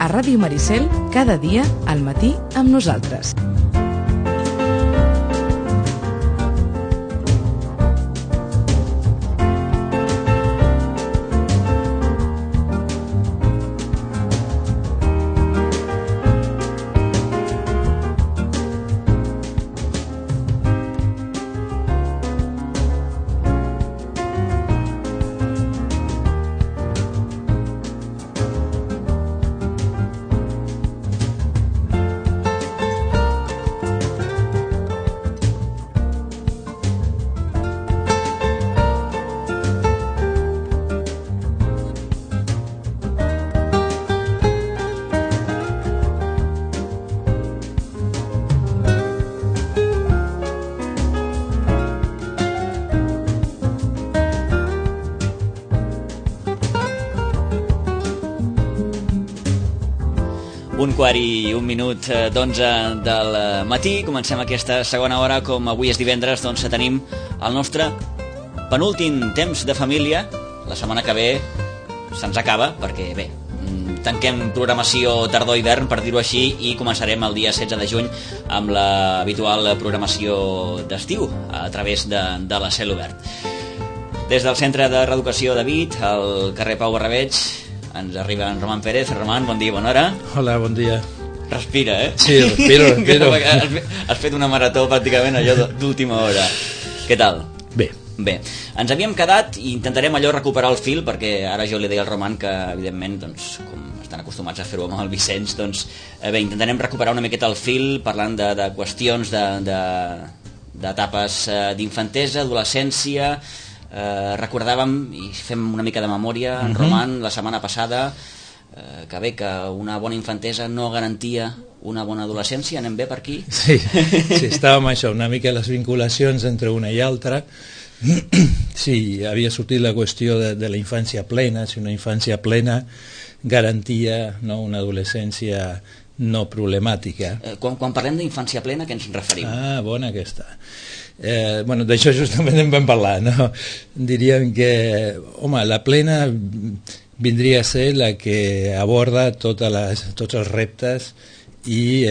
a Ràdio Maricel, cada dia al matí amb nosaltres. Un quart i un minut d'11 del matí. Comencem aquesta segona hora. Com avui és divendres, doncs tenim el nostre penúltim temps de família. La setmana que ve se'ns acaba, perquè bé, tanquem programació tardor-hivern, per dir-ho així, i començarem el dia 16 de juny amb l'habitual programació d'estiu a través de la Cel Obert. Des del Centre de Reeducació de Vic, al carrer Pau Barrabeig, ens arriba en Roman Pérez. Roman, bon dia, bona hora. Hola, bon dia. Respira, eh? Sí, respiro. Has fet una marató pràcticament allò d'última hora. Què tal? Bé. Bé, ens havíem quedat i intentarem allò recuperar el fil, perquè ara jo li deia al Roman que, evidentment, doncs, com estan acostumats a fer-ho amb el Vicenç, doncs, bé, intentarem recuperar una miqueta el fil parlant de qüestions d'etapes d'infantesa, adolescència. Recordàvem, i fem una mica de memòria, en Roman, la setmana passada, que bé, que una bona infantesa no garantia una bona adolescència. Anem bé per aquí? Sí, estàvem això, una mica les vinculacions entre una i altra. Sí, havia sortit la qüestió de la infància plena, si una infància plena garantia, no, una adolescència no problemàtica. Quan parlem d'infància plena, què ens referim? Ah, bona aquesta. Bueno, d'això justament en vam parlar, no? Diríem que, home, la plena vindria a ser la que aborda tots els reptes i,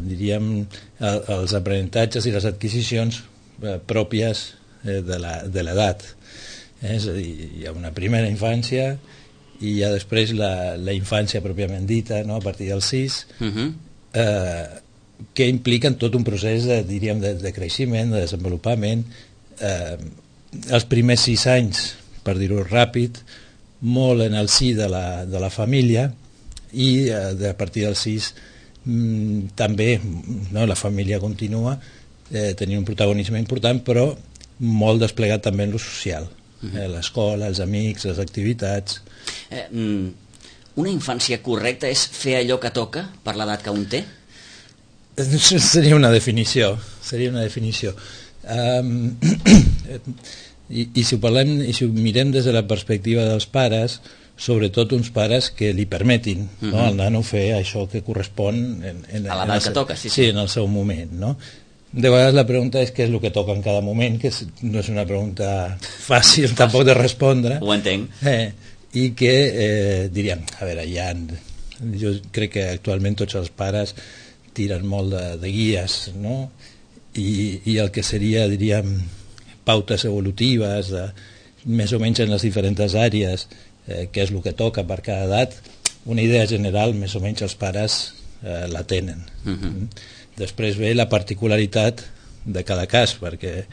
diríem, els aprenentatges i les adquisicions pròpies de l'edat. És a dir, hi ha una primera infància i hi ha després la infància pròpiament dita, no? A partir dels 6, que impliquen tot un procés de creixement, de desenvolupament. Els primers 6 anys, per dir-ho ràpid, molt en el si de la família, i a partir dels 6 també, no, la família continua tenint un protagonisme important, però molt desplegat també en lo social, l'escola, els amics, les activitats. Una infància correcta és fer allò que toca per l'edat que un té? Seria una definició. I si ho parlem, i si ho mirem des de la perspectiva dels pares, sobretot uns pares que li permetin, no, al nano fer això que correspon a l'edat que toca, sí, en el seu moment, no? De vegades la pregunta és què és el que toca en cada moment, que no és una pregunta fàcil tampoc de respondre. Ho entenc. I que diríem, a veure, jo crec que actualment tots els pares tiren molt de guies, no? I el que seria, diríem, pautes evolutives, més o menys en les diferents àrees, què és el que toca per cada edat, una idea general, més o menys els pares la tenen. Després ve la particularitat de cada cas, perquè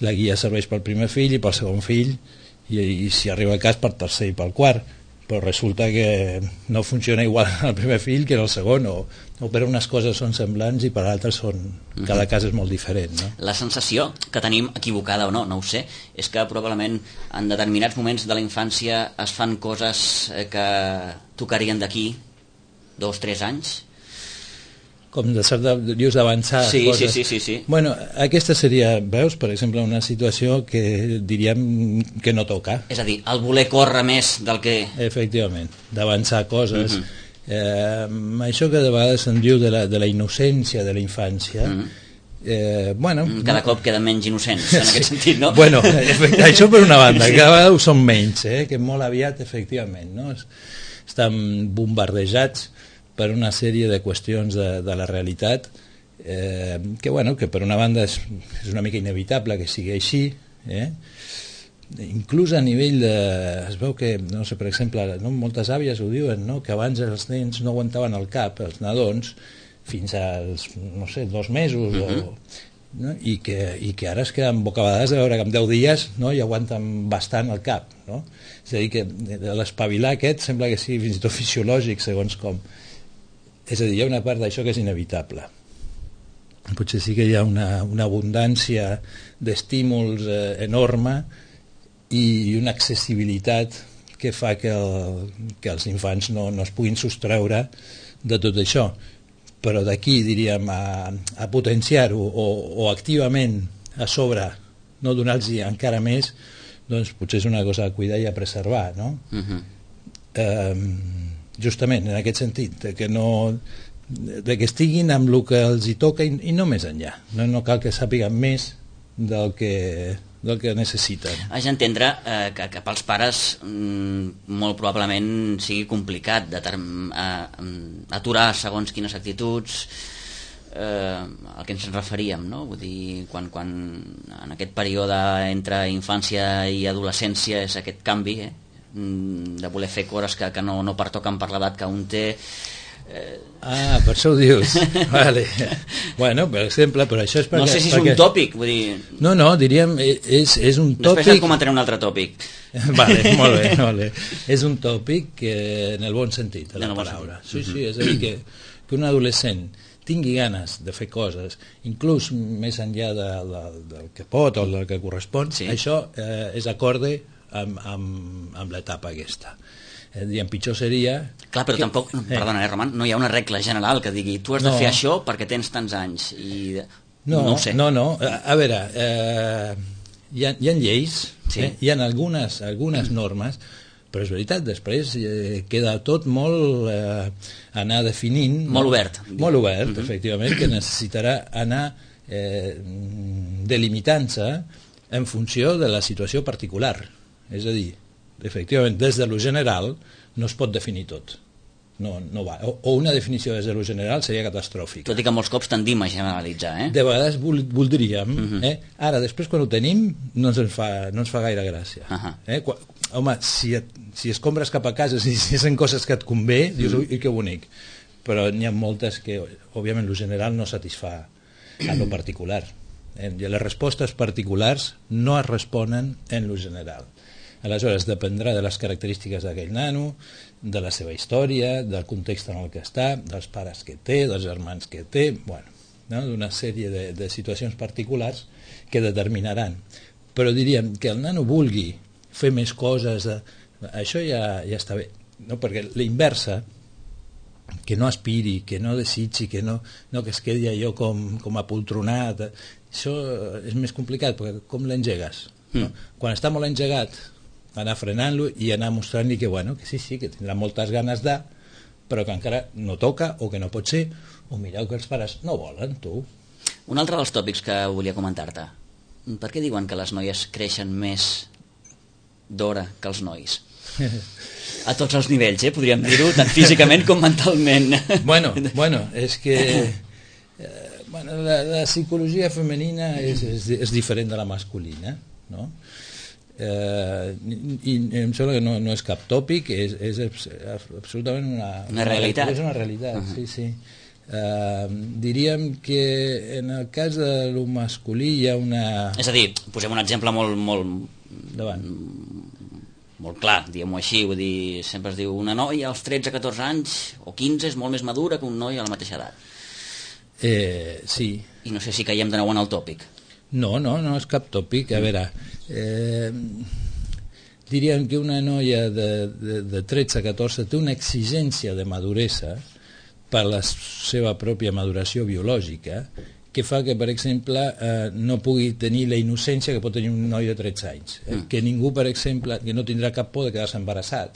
la guia serveix pel primer fill i pel segon fill, i si arriba el cas per tercer i pel quart, però resulta que no funciona igual el primer fill que el segon, o per unes coses són semblants i per altres cada cas és molt diferent, no? La sensació que tenim, equivocada o no, no ho sé, és que probablement en determinats moments de la infància es fan coses que tocarien d'aquí 2-3 anys. Com dius d'avançar coses. Sí. Bueno, aquesta seria, veus, per exemple, una situació que diríem que no toca. És a dir, el voler córrer més del que... Efectivament, d'avançar coses. Això que de vegades se'n diu de la innocència de la infància, bueno... Cada cop queden menys innocents, en aquest sentit, no? Bueno, això per una banda, cada vegada ho són menys, que molt aviat, efectivament, no? Estan bombardejats per una sèrie de qüestions de la realitat que per una banda és una mica inevitable que sigui així, inclús a nivell es veu que, no sé, per exemple, moltes àvies ho diuen, que abans els nens no aguantaven el cap, els nadons, fins als, 2 mesos i que ara es queden bocabadats de veure que en 10 dies ja aguanten bastant el cap, és a dir, que l'espavilar aquest sembla que sigui fins i tot fisiològic segons com, és a dir, hi ha una part d'això que és inevitable. Potser sí que hi ha una abundància d'estímuls enorme i una accessibilitat que fa que els infants no es puguin sostreure de tot això, però d'aquí, diríem, a potenciar-ho o activament a sobre no donar-los encara més, doncs potser és una cosa a cuidar i a preservar, no? Justament en aquest sentit, de que estiguin amb el que els hi toca i no més enllà, no cal que sàpiguen més del que necessiten. Haig d'entendre que pels pares molt probablement sigui complicat aturar segons quines actituds, al que ens referíem, no? Vull dir, quan en aquest període entre infància i adolescència és aquest canvi de voler fer coses que no pertoquen per l'edat que un té. Per això ho dius. Vale. Bueno, per exemple, però això és perquè... No sé si és un tòpic, vull dir... No, diríem, és un tòpic... Després et comentaré un altre tòpic. Vale, molt bé. És un tòpic que, en el bon sentit de la paraula. Sí, és a dir, que un adolescent tingui ganes de fer coses, inclús més enllà del que pot o del que correspon, això és acorde amb l'etapa aquesta. Diguem, pitjor seria... Clar, però tampoc, perdona, Roman, no hi ha una regla general que digui tu has de fer això perquè tens tants anys i... No ho sé. No, a veure, hi ha lleis, hi ha algunes normes, però és veritat, després queda tot molt anar definint... Molt obert. Molt obert, efectivament, que necessitarà anar delimitant-se en funció de la situació particular. És a dir, efectivament, des de lo general no es pot definir tot. No va. O una definició des de lo general seria catastròfica. Tot i que molts cops tendim a generalitzar, De vegades voldríem. Ara, després, quan ho tenim, no ens fa gaire gràcia. Home, si escombres cap a casa, si són coses que et convé, dius, ui, que bonic. Però n'hi ha moltes que, òbviament, lo general no satisfà a lo particular. I les respostes particulars no es responen en lo general. Aleshores, dependrà de les característiques d'aquell nano, de la seva història, del context en el que està, dels pares que té, dels germans que té, d'una sèrie de situacions particulars que determinaran. Però diríem que el nano vulgui fer més coses, això ja està bé, perquè la inversa, que no aspiri, que no desitgi, que es quedi allò com apoltronat, això és més complicat, perquè com l'engegues? Quan està molt engegat, anar frenant-lo i anar mostrant-li que sí, que tindrà moltes ganes de, però que encara no toca o que no pot ser, o mireu que els pares no volen, tu. Un altre dels tòpics que volia comentar-te. Per què diuen que les noies creixen més d'hora que els nois? A tots els nivells, podríem dir-ho, tant físicament com mentalment. Bueno, és que la psicologia femenina és diferent de la masculina, no? I em sembla que no és cap tòpic, és absolutament una realitat. És una realitat, sí. Diríem que en el cas de lo masculí hi ha una... És a dir, posem un exemple molt clar, diguem-ho així, vull dir, sempre es diu una noia als 13-14 anys o 15 és molt més madura que un noi a la mateixa edat. Sí. I no sé si caiem de nou en el tòpic. No és cap tòpic. A veure, diríem que una noia de 13-14 té una exigència de maduresa per la seva pròpia maduració biològica que fa que, per exemple, no pugui tenir la innocència que pot tenir un noi de 13 anys. Que ningú, per exemple, que no tindrà cap por de quedar-se embarassat.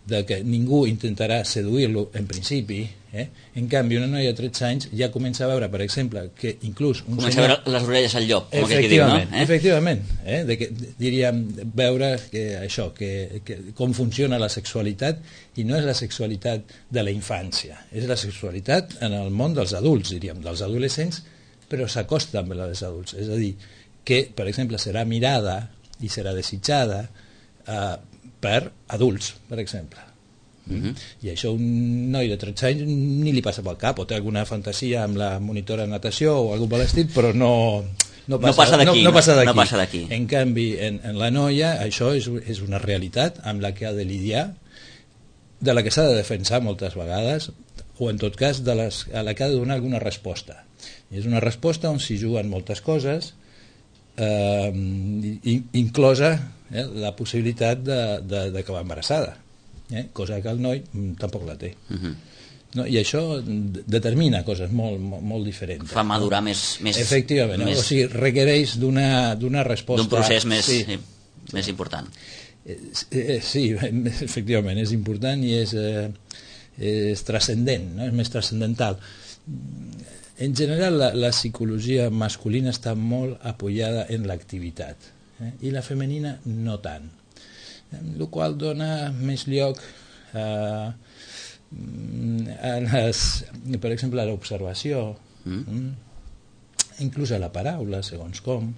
de que ningú intentarà seduir-lo en principi, en canvi una noia de 13 anys ja comença a veure, per exemple, que inclús comença a veure les orelles al llop, com aquell que diu, no? Efectivament, de que, diríem, veure que això, que com funciona la sexualitat, i no és la sexualitat de la infància, és la sexualitat en el món dels adults, diríem, dels adolescents, però s'acosta amb els adults, és a dir, que, per exemple, serà mirada i serà desitjada per adults, per exemple. I això un noi de 13 anys ni li passa pel cap, o té alguna fantasia amb la monitora de natació o alguna cosa per l'estil, però no passa d'aquí. En canvi, en la noia això és una realitat amb la que ha de lidiar, de la que s'ha de defensar moltes vegades, o en tot cas a la que ha de donar alguna resposta. I és una resposta on s'hi juguen moltes coses, inclosa la possibilitat d'acabar embarassada, cosa que el noi tampoc la té. No, i això determina coses molt diferents. Fa madurar més... Efectivament, o sigui, requereix d'una resposta... D'un procés més important. Sí, efectivament, és important i és transcendent, no? És més transcendental. En general, la psicologia masculina està molt apoyada en l'activitat, i la femenina no tant, el qual dona més lloc per exemple, a l'observació, inclús a la paraula, segons com.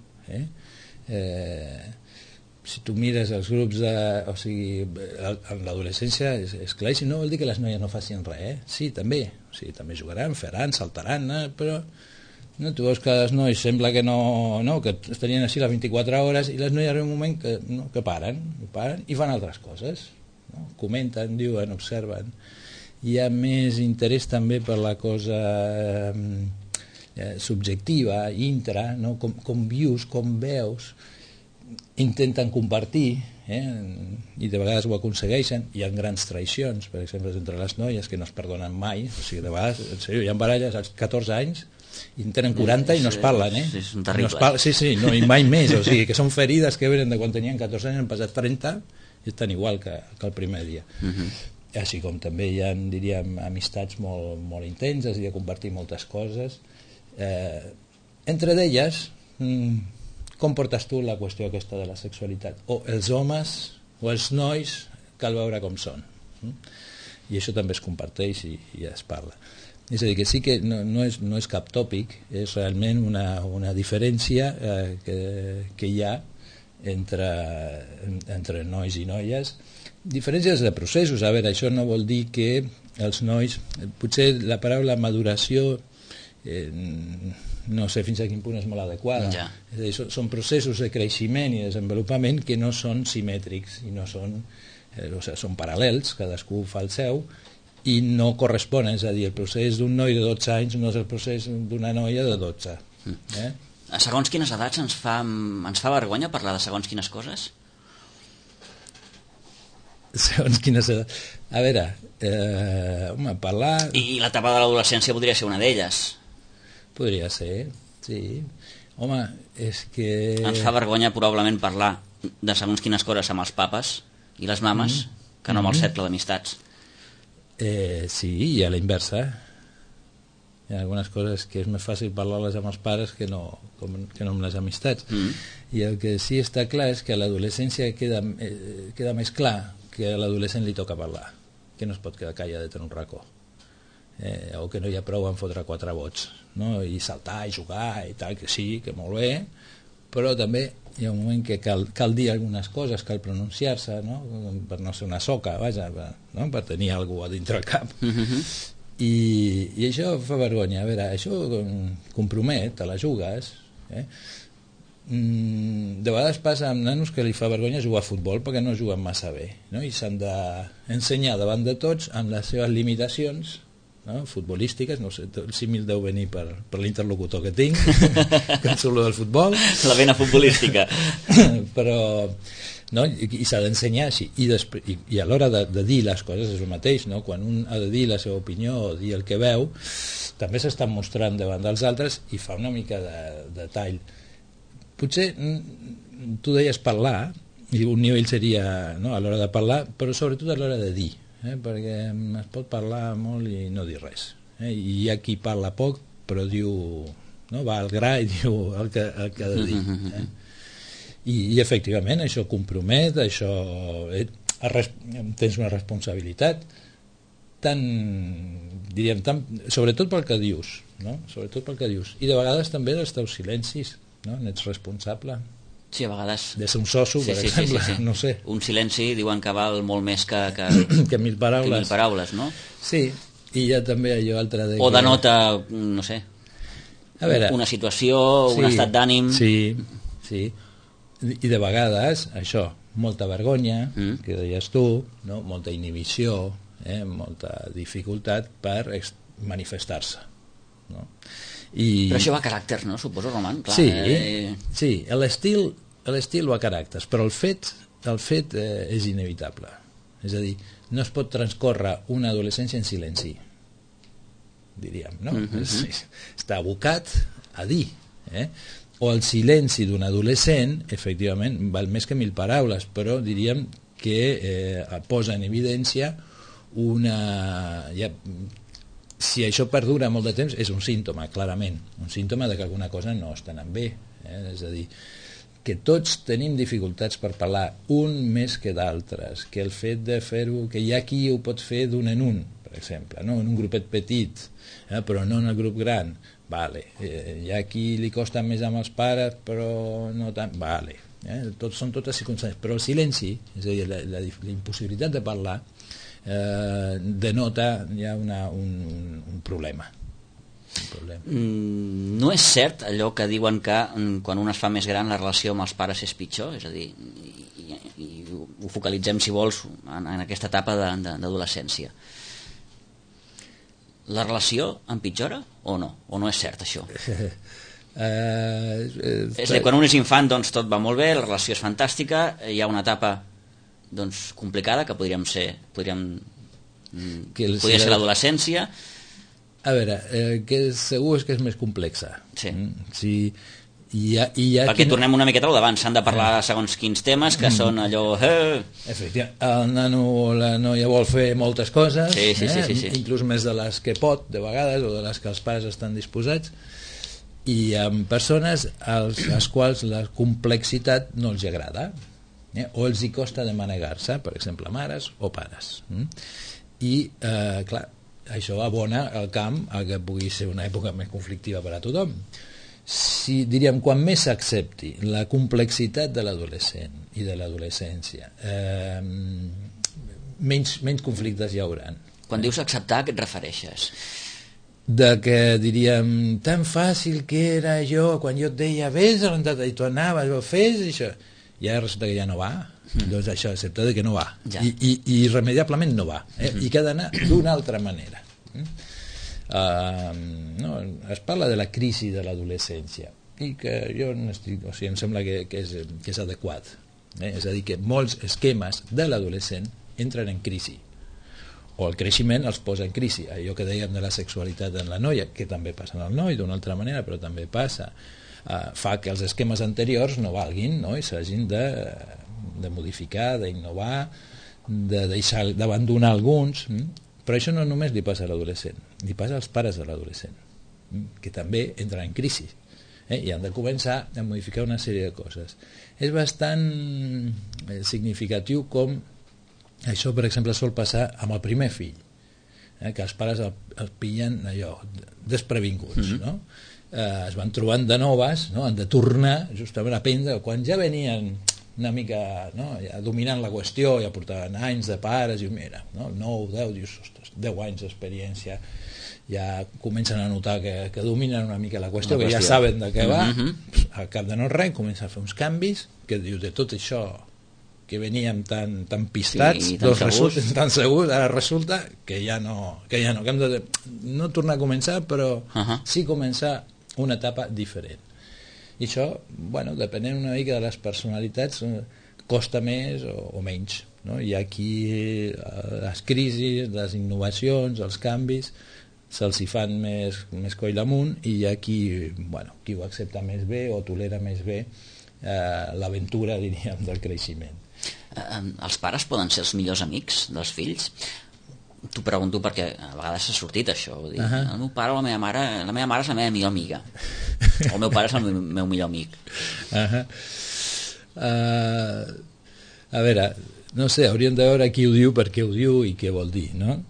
Si tu mires els grups o sigui, en l'adolescència és clar, i si no vol dir que les noies no facin res, sí, també, o sigui, també jugaran, faran, saltaran, però tu veus que els nois sembla que que estarien així les 24 hores, i les noies arriba un moment que paren i fan altres coses, comenten, diuen, observen. Hi ha més interès també per la cosa subjectiva, intra, com vius, com veus, intenten compartir, i de vegades ho aconsegueixen. Hi ha grans traïcions, per exemple, entre les noies, que no es perdonen mai, o sigui, de vegades, en sèrio, hi ha baralles als 14 anys i en tenen 40 i no es parlen, són terribles. Sí, no, i mai més, o sigui, que són ferides que venen de quan tenien 14 anys, han passat 30 i estan igual que el primer dia. Així com també hi ha, diríem, amistats molt intenses i de compartir moltes coses. Entre d'elles, com portes tu la qüestió aquesta de la sexualitat? O els homes o els nois cal veure com són. I això també es comparteix i es parla. És a dir, que sí que no és cap tòpic, és realment una diferència que hi ha entre nois i noies. Diferències de processos. A veure, això no vol dir que els nois... Potser la paraula maduració no sé fins a quin punt és molt adequada. Ja. És a dir, són processos de creixement i desenvolupament que no són simètrics i no són, són paral·lels, cadascú fa el seu, i no corresponen. És a dir, el procés d'un noi de 12 anys no és el procés d'una noia de 12. A segons quines edats ens fa vergonya parlar de segons quines coses? Segons quines edats... A veure, parlar... I l'etapa de l'adolescència podria ser una d'elles. Podria ser, sí. Home, és que... Ens fa vergonya probablement parlar de segons quines coses amb els papes i les mames que no amb el cercle d'amistats. Sí, i a la inversa. Hi ha algunes coses que és més fàcil parlar-les amb els pares que no amb les amistats. I el que sí està clar és que a l'adolescència queda més clar que a l'adolescent li toca parlar, que no es pot quedar calladet en un racó, o que no hi ha prou en fotre 4 vots, no? I saltar i jugar i tal, que sí, que molt bé, però també hi ha un moment que cal dir algunes coses, cal pronunciar-se, no? Per no ser una soca, vaja, no? Per tenir algú a dintre el cap. I això fa vergonya. A veure, això compromet, te la jugues, de vegades passa amb nanos que li fa vergonya jugar a futbol perquè no juguen massa bé, no? I s'han d'ensenyar davant de tots amb les seves limitacions, no? Futbolístiques, no sé, el símil deu venir per l'interlocutor que tinc que solo del futbol, la vena futbolística. Però no? I s'ha d'ensenyar així, i a l'hora de dir les coses és el mateix, no? Quan un ha de dir la seva opinió o dir el que veu, també s'està mostrant davant dels altres i fa una mica de tall. Potser tu deies parlar, I un nivell seria, no, a l'hora de parlar, però sobretot a l'hora de dir, perquè es pot parlar molt i no dir res. I hi ha qui parla poc, però diu, no, va al gra i diu el que ha de dir. I efectivament això compromet, això tens una responsabilitat sobretot pel que dius, no? Sobretot pel que dius, i de vegades també dels teus silencis, no? N'ets responsable. Sí, a vegades. De ser un soso, per exemple, no sé. Un silenci diuen que val molt més que 1.000 paraules. Que 1.000 paraules, no? Sí, i hi ha també allò altre de o denota, no sé, a veure, una situació, un estat d'ànim. Sí. I de vegades, això, molta vergonya, que deies tu, no? Molta inhibició, molta dificultat per manifestar-se, no? Però això va a caràcter, no? Suposo, Roman. Clar, sí, l'estil va a caràcters, però el fet és inevitable. És a dir, no es pot transcórrer una adolescència en silenci, diríem, no? Està abocat a dir, o el silenci d'un adolescent, efectivament, val més que 1.000 paraules, però diríem que posa en evidència si això perdura molt de temps, és un símptoma, clarament, un símptoma de que alguna cosa no està anant bé. És a dir, que tots tenim dificultats per parlar, un més que d'altres, que el fet de fer-ho, que hi ha qui ho pot fer d'un en un, per exemple, no? En un grupet petit, però no en el grup gran, vale. Hi ha qui li costa més amb els pares, però no tant, vale. Són totes circumstàncies, però el silenci, és a dir, la impossibilitat de parlar, denota ja un problema. No és cert allò que diuen que quan un es fa més gran la relació amb els pares és pitjor, és a dir, i ho focalitzem, si vols, en aquesta etapa d'adolescència. La relació empitjora o no? O no és cert això? És a dir, quan un és infant doncs tot va molt bé, la relació és fantàstica, hi ha una etapa doncs complicada que podria ser l'adolescència. A veure, que segur és que és més complexa. Sí. Perquè tornem una miqueta al d'abans, s'han de parlar de segons quins temes que són allò... Efectivament, el nano o la noia vol fer moltes coses, sí. inclús més de les que pot de vegades, o de les que els pares estan disposats, i amb persones als quals la complexitat no els agrada, o els hi costa de manegar-se, per exemple, mares o pares. I, clar, això abona el camp a que pugui ser una època més conflictiva per a tothom. Si, diríem, quan més s'accepti la complexitat de l'adolescent i de l'adolescència, menys conflictes hi hauran. Quan dius acceptar, a què et refereixes? De que, diríem, tan fàcil que era jo, quan jo et deia, vés a l'entrada, i tu anaves, fes això, i ara resulta que ja no va, doncs això, excepte que no va, i irremediablement no va, i que ha d'anar d'una altra manera. No, es parla de la crisi de l'adolescència, i que jo no estic, o sigui, em sembla que és adequat, és a dir, que molts esquemes de l'adolescent entren en crisi, o el creixement els posa en crisi. Allò que dèiem de la sexualitat en la noia, que també passa en el noi d'una altra manera, però també passa, fa que els esquemes anteriors no valguin, no? I s'hagin de modificar, d'innovar, de deixar d'abandonar alguns. Però això no només li passa a l'adolescent, li passa als pares de l'adolescent, que també entren en crisi, i han de començar a modificar una sèrie de coses. És bastant significatiu com això, per exemple, sol passar amb el primer fill, que els pares el pillen allò, desprevinguts, no? Es van trobant de noves, no? Han de tornar justament a aprendre quan ja venien una mica, no? Ja dominant la qüestió, ja portaven anys de pares, i mira, no? 9, 10, dius, ostres, 10 anys d'experiència, ja comencen a notar que dominen una mica la qüestió, que ja saben de què va, al cap de no res comencen a fer uns canvis, que dius, de tot això que veníem tan pistats, tan segurs, ara resulta que ja no, que hem de no tornar a començar, però sí començar una etapa diferent. I això, bueno, depenent una mica de les personalitats, costa més o menys, no? Hi ha qui les crisis, les innovacions, els canvis se'ls hi fan més coll amunt, i hi ha qui ho accepta més bé o tolera més bé l'aventura, diríem, del creixement. Els pares poden ser els millors amics dels fills? T'ho pregunto perquè a vegades s'ha sortit això, vull dir, el meu pare o la meva mare és la meva millor amiga, o el meu pare és el meu millor amic. A veure, no sé, hauríem de veure qui ho diu, per què ho diu i què vol dir, no?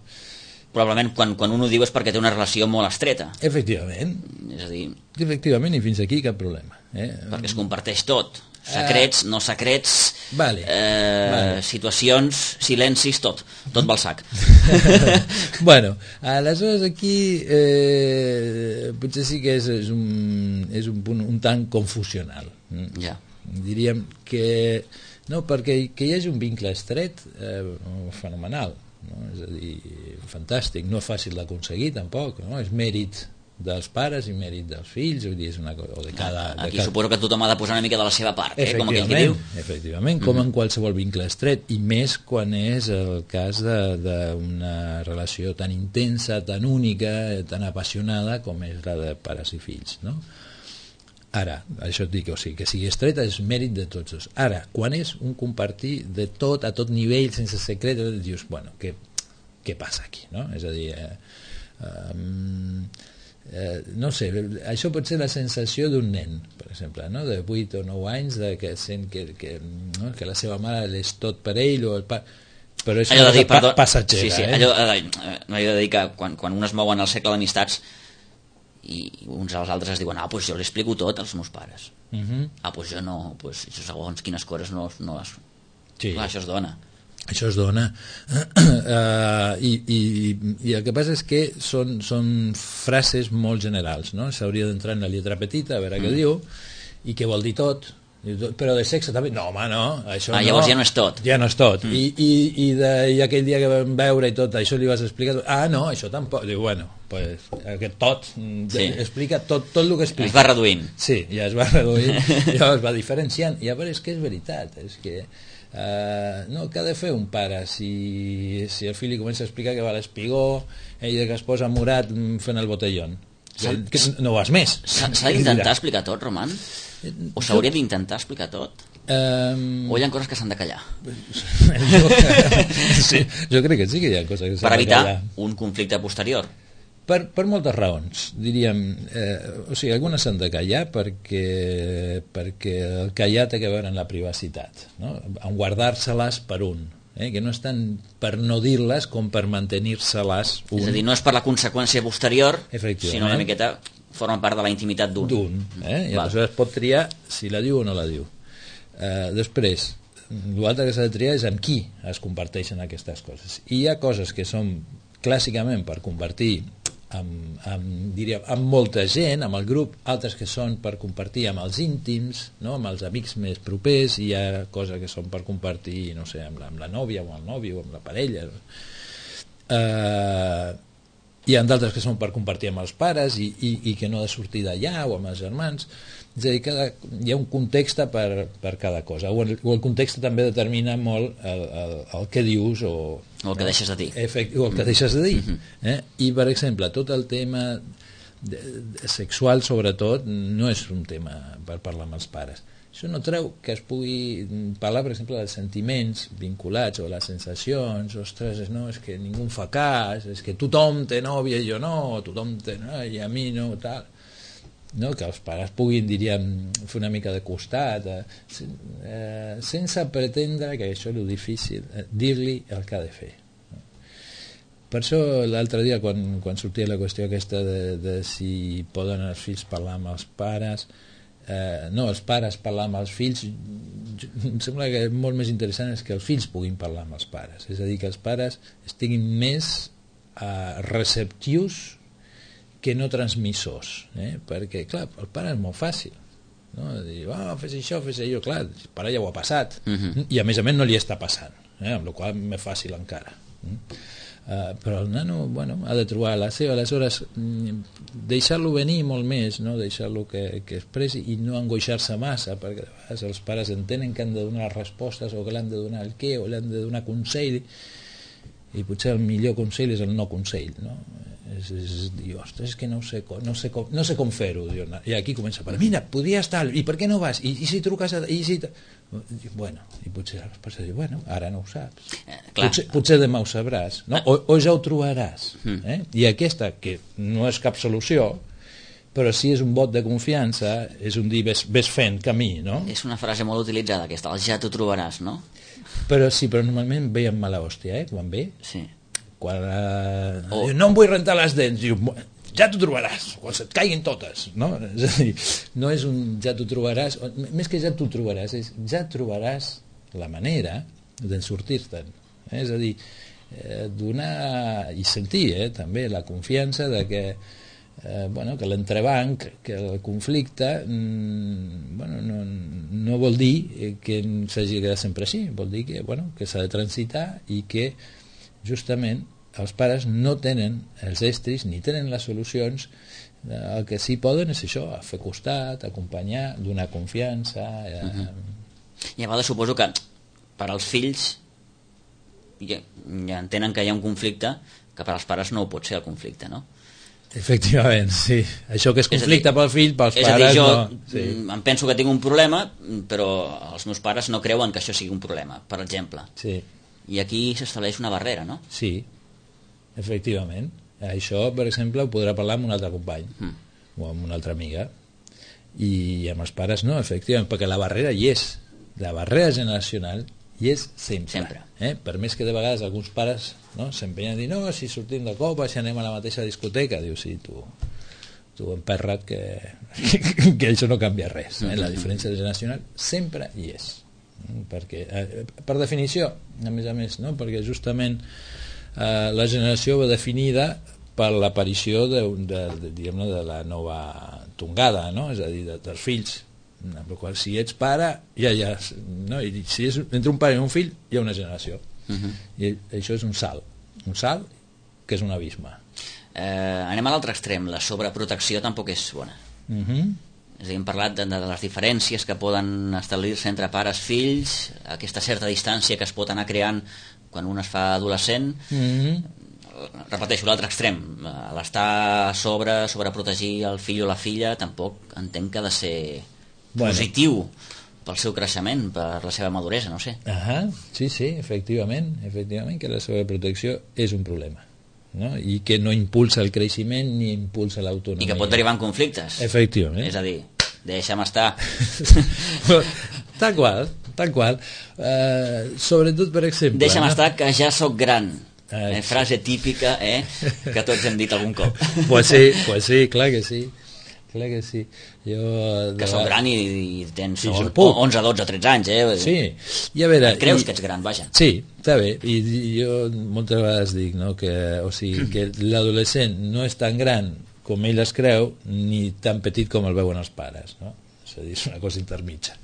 Probablement quan un ho diu és perquè té una relació molt estreta. Efectivament. És a dir... Efectivament, i fins aquí cap problema. Perquè es comparteix tot. Secrets, no secrets, vale. Situacions, silencis, tot va al sac. Bueno, aleshores aquí potser sí que és un punt un tant confusional. Ja. Diríem que no, perquè que hi hagi un vincle estret fenomenal, no? És a dir, fantàstic, no és fàcil d'aconseguir tampoc, no? És mèrit dels pares i mèrit dels fills, vull dir, és una cosa de cada... Aquí suposo que tothom ha de posar una mica de la seva part, com aquell que diu. Efectivament, com en qualsevol vincle estret, i més quan és el cas d'una relació tan intensa, tan única, tan apassionada com és la de pares i fills, no? Ara, això et dic, o sigui, que sigui estreta és mèrit de tots dos. Ara, quan és un compartir de tot, a tot nivell, sense secret, dius, bueno, què passa aquí, no? És a dir... no sé, això pot ser la sensació d'un nen, per exemple, no? De 8 o 9 anys, que sent no? Que la seva mare és tot per ell, o el pare, però és una cosa passatgera. Sí, allò de dir que quan un es mou en el cercle d'amistats i uns als altres es diuen, doncs jo li explico tot als meus pares. Doncs jo no, segons quines coses no sí. Clar, això es dona. Això es dona i el que passa és que són frases molt generals, no? S'hauria d'entrar en la lletra petita a veure què diu i què vol dir tot, però de sexe també, no home, no, això llavors ja no és tot, i aquell dia que vam veure i tot això li vas explicar, no, això tampoc, diu, bueno, pues, aquest tot explica tot el que explica, es va reduint, sí, ja es va reduint, ja es va diferenciant, i a veure, és que és veritat, és que no, què ha de fer un pare si el fill li comença a explicar que va a l'espigó ell que es posa morat fent el botellón, que no vas més. S'ha d'intentar explicar tot, Roman? O s'hauria d'intentar explicar tot? O hi ha coses que s'han de callar? Sí, jo crec que sí que hi ha coses que s'han de callar. Per evitar un conflicte posterior? Per moltes raons, diríem, o sigui, algunes s'han de callar perquè el callar té a veure amb la privacitat, no? En guardar-se-les per un, que no és tant per no dir-les com per mantenir-se-les un. És a dir, no és per la conseqüència posterior, sinó una miqueta forma part de la intimitat d'un. I aleshores pot triar si la diu o no la diu. Després, l'altre que s'ha de triar és amb qui es comparteixen aquestes coses. I hi ha coses que són clàssicament per compartir amb molta gent, amb el grup, altres que són per compartir amb els íntims, no? Amb els amics més propers, i hi ha coses que són per compartir, no sé, amb la nòvia o amb el nòvio o amb la parella, hi ha d'altres que són per compartir amb els pares i que no ha de sortir d'allà, o amb els germans. És a dir, hi ha un context per cada cosa, o el context també determina molt el que dius o el que deixes de dir, o el que deixes de dir. I per exemple, tot el tema sexual sobretot no és un tema per parlar amb els pares. Això no treu que es pugui parlar, per exemple, dels sentiments vinculats o les sensacions. Ostres, no, és que ningú fa cas, és que tothom té nòvia i jo no, tothom té i a mi no, tal. No, que els pares puguin, diríem, fer una mica de costat, sense pretendre, que això és el difícil, dir-li el que ha de fer. Per això l'altre dia, quan sortia la qüestió aquesta de si poden els fills parlar amb els pares, no, els pares parlar amb els fills, em sembla que molt més interessant és que els fills puguin parlar amb els pares, és a dir, que els pares estiguin més receptius que no transmissors, perquè, clar, el pare és molt fàcil, no? Dir, fes això, fes allò, clar, el pare ja ho ha passat, i a més no li està passant, amb la qual cosa més fàcil encara. Però el nano, bueno, ha de trobar la seva, aleshores deixar-lo venir molt més, no? Deixar-lo que expressi i no angoixar-se massa, perquè a vegades els pares entenen que han de donar respostes o que l'han de donar el què o l'han de donar consell, i potser el millor consell és el no consell, no? Diu, ostres, és que no sé com fer-ho. I aquí comença a parlar, mira, podria estar, i per què no vas? I si truques i si... Bueno, i potser diu, bueno, ara no ho saps. Potser demà ho sabràs, no? O ja ho trobaràs. I aquesta, que no és cap solució, però sí és un vot de confiança, és un dir, ves fent camí, no? És una frase molt utilitzada, aquesta, el ja t'ho trobaràs, no? Però sí, però normalment ve amb mala hòstia, quan ve. Sí. Quan no em vull rentar les dents, diu, ja t'ho trobaràs, quan se't caiguin totes, no? És a dir, no és un ja t'ho trobaràs, més que ja t'ho trobaràs, és ja trobaràs la manera de sortir-te'n. És a dir, donar i sentir també la confiança de que que l'entrebanc, que el conflicte no vol dir que s'hagi de quedar sempre així, vol dir que s'ha de transitar i que justament els pares no tenen els estris ni tenen les solucions. El que sí poden és això, fer costat, acompanyar, donar confiança. I a vegades suposo que per als fills ja entenen que hi ha un conflicte que per als pares no ho pot ser el conflicte, no? Efectivament, sí. Això que és conflicte pel fill, pels pares no. És a dir, jo em penso que tinc un problema, però els meus pares no creuen que això sigui un problema, per exemple. Sí. I aquí s'estableix una barrera, no? Sí, efectivament. Això, per exemple, ho podrà parlar amb un altre company o amb una altra amiga, i amb els pares no, efectivament, perquè la barrera hi és. La barrera generacional hi és sempre. Per més que de vegades alguns pares s'empenyen a dir, no, si sortim de copa, si anem a la mateixa discoteca, diu, sí, tu emperra't que això no canvia res. La diferència generacional sempre hi és, perquè per definició, a més, perquè justament la generació va definida per l'aparició de la nova tongada, és a dir, dels fills. Si ets pare, no? I si és entre un pare i un fill, hi ha una generació. I això és un salt que és un abisme. Anem a l'altre extrem, la sobreprotecció tampoc és bona. És a dir, hem parlat de les diferències que poden establir-se entre pares i fills, aquesta certa distància que es pot anar creant quan un es fa adolescent. Repeteixo, l'altre extrem, l'estar sobreprotegir el fill o la filla, tampoc entenc que ha de ser positiu pel seu creixement, per la seva maduresa, no sé. Sí, efectivament, que la sobreprotecció és un problema, i que no impulsa el creixement ni impulsa l'autonomia. I que pot derivar en conflictes. Efectivament. És a dir, deixa'm estar. Tal qual. Sobretot, per exemple... Deixa'm estar, que ja sóc gran. Frase típica, que tots hem dit algun cop. Pues sí, clar que sí. Que sóc gran i tens 11, 12, 13 anys, Sí, i a veure... Creus que ets gran, vaja. Sí, està bé, i jo moltes vegades dic que l'adolescent no és tan gran com ell es creu, ni tan petit com el veuen els pares, és a dir, és una cosa intermitja.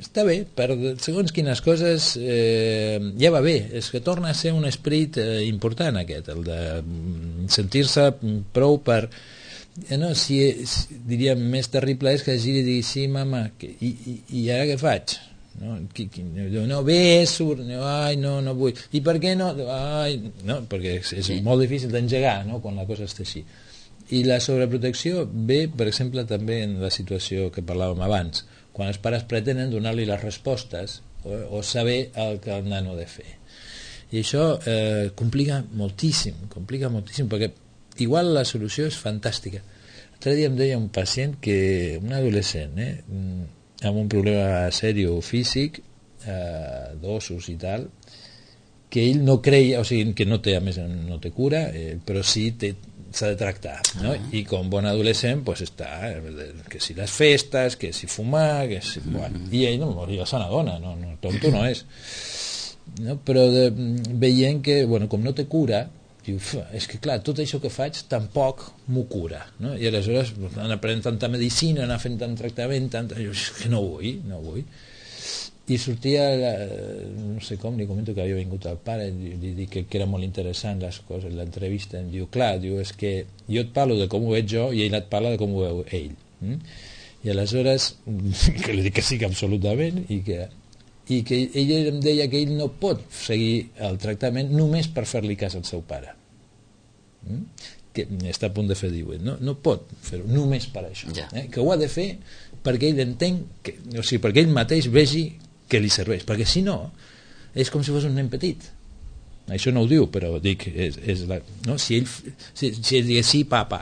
Està bé, per segons quines coses ja va bé, és que torna a ser un esperit important aquest, el de sentir-se prou per... diríem, més terrible és que giri i digui, sí, mama, i ara què faig? No, bé, surt, ai, no vull, i per què no? Perquè és molt difícil d'engegar quan la cosa està així. I la sobreprotecció ve, per exemple, també en la situació que parlàvem abans, quan els pares pretenen donar-li les respostes o saber el que el nano ha de fer. I això complica moltíssim, perquè igual la solució és fantàstica. L'altre dia em deia un pacient, un adolescent, amb un problema sèrio físic, d'ossos i tal, que ell no creia, o sigui, que no té, a més, no té cura, però sí s'ha de tractar, no? I com bon adolescent pues està, que si les festes, que si fumar, que si... I ell ja se n'adona, tonto no és, però veient que, com no té cura, diu, és que clar, tot això que faig tampoc m'ho cura, i aleshores anar prenent tanta medicina, anar fent tant tractament, jo, que no vull, i sortia, no sé com, li comento que havia vingut el pare, li dic que era molt interessant les coses, l'entrevista, em diu, clar, és que jo et parlo de com ho veig jo i ell et parla de com ho veu ell, i aleshores que li dic que sí, que absolutament, i que ell em deia que ell no pot seguir el tractament només per fer-li cas al seu pare. que està a punt de fer 18, no pot fer-ho només per això, que ho ha de fer perquè ell entén o sigui, perquè ell mateix vegi que li serveix, perquè si no és com si fos un nen petit. Això no ho diu, però dic no? si ell digués sí, papa,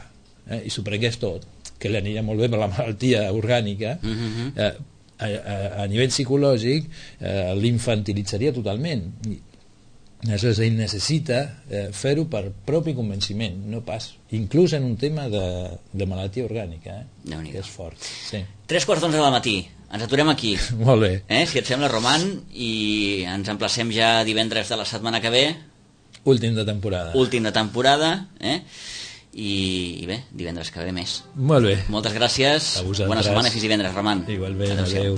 i s'ho prengués tot, que li aniria molt bé per la malaltia orgànica, a nivell psicològic l'infantilitzaria totalment. Aleshores ell necessita fer-ho per propi convenciment, no pas inclús en un tema de malaltia orgànica, que és fort. 3:45 del matí, ens aturem aquí. Molt bé. Si et sembla, Roman, i ens emplacem ja divendres de la setmana que ve. Últim de temporada. I bé, divendres que ve més. Molt bé. Moltes gràcies. Bona setmana i fins divendres, Roman. Igualment, adeu.